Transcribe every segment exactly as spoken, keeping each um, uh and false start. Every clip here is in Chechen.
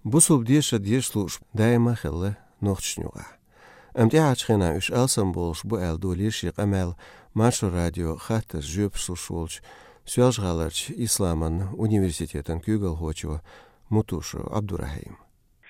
Бусалба дешар деша лууш даима а хилла нохчашна юкъахь. Амма тӀаьхьарчу хенахь уьш алсамбовлуш бу аьлла, долийра шен къамел Маршо радион хаттаршна жоьпаш луш волчу Соьлжа-ГӀаларчу исламан университетан куьйгалхочо Мутушев Ӏабдурахьима.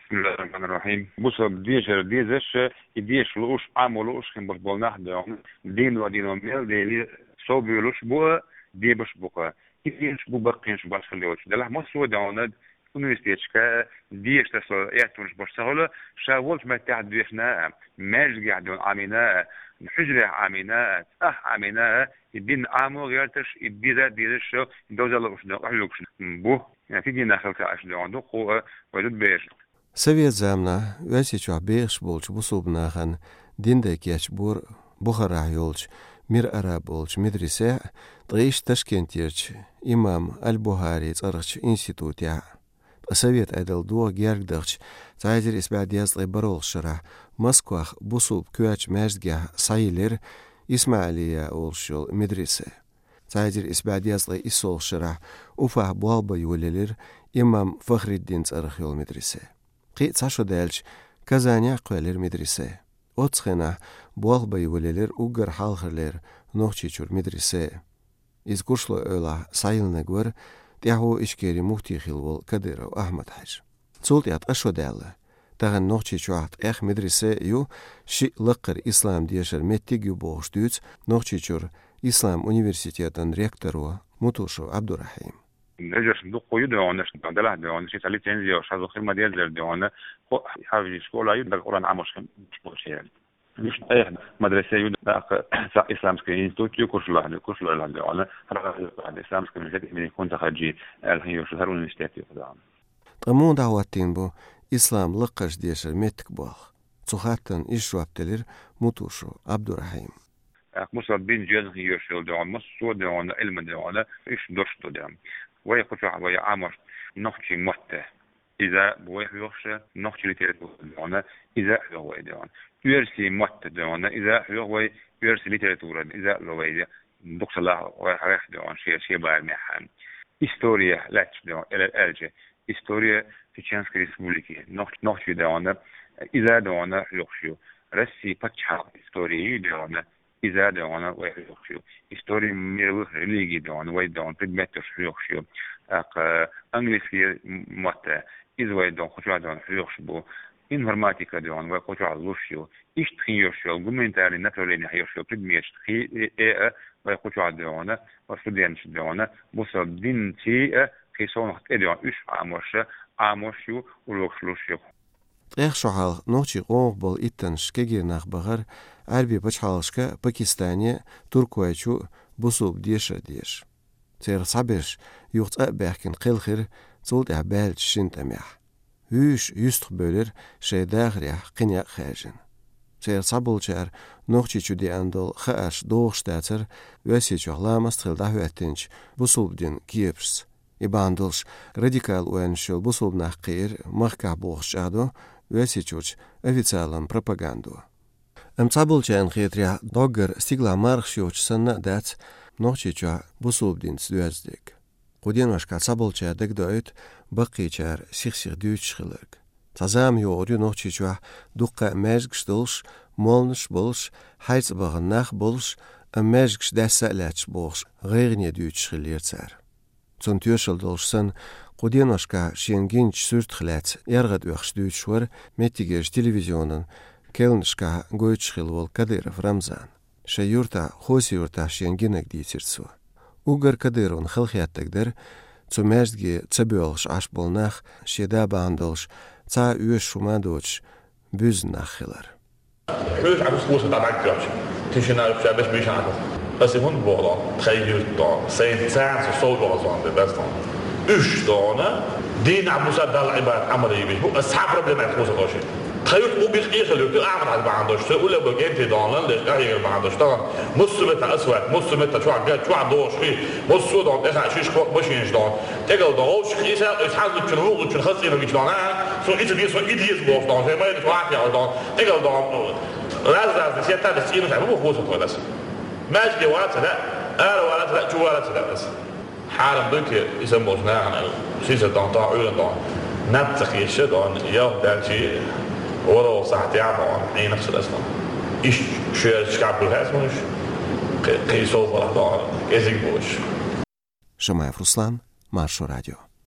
Бисмиллахир-рахманир-рахим. Бусалба дешар дезаш, и деша лууш, Ӏамо лууш хин болуш болу нах а дуьйна, дийно-дийно мел дели, совбуьйлуш бу а, дебаш бу-кх. И динаш бу баккхийнаш башхалла йолчу. Делахь массо а дуьйна университеташка деша тасо эттунаш баш ца хуьлу, ша волчу меттехь дешна а, маьждигехь дуьйна Ӏамийна а, хьуьжарехь Ӏамийна а, цӀахь Ӏамийна а, и дин Ӏамо гӀерташ, и деза а дезаш, и довза а лууш дуьйна къахьоьгуш бу. Ти динах хилла аша дуьйна дуккха а вай зудабераш. Совет заманахь Оьрсийчохь бехаш болчу бусалба нахана дин дай кечбора Бухарахь йолчу Мир Араб олучу медресехь а, ткъа иштта Ташкентерчу имам Аль-БухӀари цӀарахчу институтехь а. Ткъа совет Ӏедал догӀа герга дахча, цхьа эзар исс бӀе дезткъе бархӀалгӀачу шарахь Москвахь бусалба коьртачу маьждигехь схьайиллира ИсмаӀилия олуш йолу медресе. Цхьа эзар исс бӀе дезткъе иссолгӀачу шарахь Уфахь болх бан йолаелира имам Фахриддин цӀарах йолу медресе. Кхин а цхьа шо даьлча, Казанехь а кхоьллира медресе. Оццу хенахь болх бан йолаелира уггар хьалхарлера Нохчийчуьра медресе. Иза Куршлойн эвлахь схьайиллинарг вара тӀаьхьо Ичкерин муфти хилла волу Кадыров Ахьмад-Хьаьжа. Цул тӀаьхьа ткъа шо даьлла. Тахана Нохчийчохь ткъех медресе а ю, шиъ лаккхара ислам дешаран меттиг а ю бохуш дуьйцу Нохчийчуьра ислам университетан ректоро Мутушев Ӏабдурахьима. Вежаршна дуккха ю дуьйна, делахь дуьйна, ши цхьа лицензи йолуш, хаза хир ма-деззара дуьйна, хьафизийн школа ю, дага Къуръан Ӏамош хин школа чу яра. Уьш ткъех медресе ю, тӀаккха цхьа исламский институт ю Куршлойн, Куршлойн дуьйна, хӀара исламский университет имени Кунта-Хаджи аьлла хин йолуш хӀара университет ю дуьйна. Ткъа муха дӀахӀоттийна бу ислам лаккхарчу дешаран меттиг болх? Цу хаттарна иштта жоп делира Мутушев Ӏабдурахьима. ТӀаккха бусалба дин жоьжахатехь йоьшуш йолу дуьйна, массо а дуьйна, Ӏилма дуьйна, уьш дош ду дуьйна. Вай кху чохь вай Ӏамош нохчийн мотт. Иза бу вай хьоьхуш, нохчийн литература дуьйна, иза а хьоьху вай дуьйна. Оьрсийн мотт дуьйна, иза а хьоьху вай, оьрсийн литература, иза а ло вай, дукха ца лахь вай хьоьху дуьйна, шен, шен барамехь. История лаьтташ дуьйна, эл-, аьлча, история Чеченской Республики, нох-, нохчийн дуьйна, иза а дуьйна хьоьхуш ю. Российн пачхьалкхан история ю дуьйна, иза а дуьйна вай хьоьхуш ю. История мировых религий дуьйна вай дуьйна предметаш хьоьхуш ю. ТӀаккха английский мотт, иза вай дуьйна кху чохь дуьйна хьоьхуш бу. Информатика дуьйна вай кху чохь луш ю. Иштта хин йоьшуш йолу гуманитарный направлениехь йоьшуш йолу предметаш кхин а, э, а вай кху чохь дуьйна, вай студенташ дуьйна, бусалба динций а, кхин совнаха тӀе дуьйна уьш Ӏамош, Ӏамош ю, урокаш луш ю. Ткъех шо хьалха нохчийн къомах болу иттаннаш кегий нах бахара Ӏаьрбийн пачхьалкхашка, Пакистане, Туркойчу бусалба дешар деша. Церан цхьаберш юха цӀа а баьхкина кхелхира цул тӀаьхьа баьллачу шина тӀамехь. Вуьйш юьстах бевлира шайн дахарехь кхин некъ хаьржина. Церан цхьаболчара Нохчийчу деана долу хаарш догӀуш дацара Оьрсийчохь ламаст хилла дӀахӀоьттинчу бусалба динан кепашца. И бахьана долуш радикал ойланаш йолу бусалба нах кхиира махкахь бохуш чӀагӀдо Оьрсийчуьрчу официалан пропагандо. Амма цхьаболчарна хетарехь, доггара стигалахь мархаш йоцуш санна а дац Нохчийчохь бусалба динца доьзна дерг. Кху деношкахь цхьаболчара дагадоуьйту баккхийчара сих-сиха дуьйцуш хилларг. Цхьа зама йогӀур ю Нохчийчохь дуккха а маьждигаш долуш, молланаш а болуш, хьайца бахана нах а болуш, амма маьждигаш даьсса а лаьтташ бохуш, гӀайгӀане дуьйцуш хиллера цара. Цунна тоьшалла долуш санна, кху деношкахь шена гиначу суьртах лаьцна яргӀад оьхуш дуьйцуш вара меттигерчу телевизионан керланашкахь гойтуш хилла волу Кадыров Рамзан. Шайн юьртахь, Хоси-Юьртахь шена гинарг дийцира цо. Уггар Кадыровна халахетарг дара цу маьждиге ца боьлхуш Ӏаш болу нах, шен да бахьана долуш, цхьа а оьшуш хӀума а доцуш, буьзна нах хилар. Хьоьжуш Ӏа хӀусам дӀадаккхийча, тишина ша беш миша Ӏа. Аса хӀунда боху, тхайн юьртахь, сайн царна со сов догӀу зон бе беза. Уьш дуьйна, дийнахь буса Далла Ӏибадат Ӏамал йийш бу, аса цхьа проблема аьлла хӀусам догӀуш. Тхан юьрт уггар къехьа луьйту, Ахьмад-Хьаьжа бахьана долуш, цу уллехь бу генти дуьйна, леш къахьегар бахьана долуш, тахана массо а метта асфальт, массо а метта чохь ган, чохь дохуш хи, массо а дуьйна, тӀехь шиш кхо машинаш дуьйна. ТӀегал дуьйна, вовшах ийса, иза хьан зудчун, вукху зудчун хаза цӀийнарг гича дуьйна, а? Цо иза деза, со и деза бохуш дуьйна, шайн майрачу вахьтехь дуьйна. ТӀегал дуьйна, раз-разный сеттан цӀийнаш Ӏа бу хӀусам догӀу аса. Маьждиге вала ца лаьа, ара вала ца лаьа, чу вала ца лаьа аса. Хьарам дуй те, иза болчу нахана, сийсара дуьйна, тахана Ӏуьйранна дуьйна. Наб ца хеташ, дона, ялх даьлча, варо сахьтехь, дона, Ӏийнах ца дастам. Иштта шоьрачу кхаьб бу хьаьсманаш, кхи-, кхин сов балахь, дона, кӀезиг болуш. Шамаев Руслан, Маршо радио.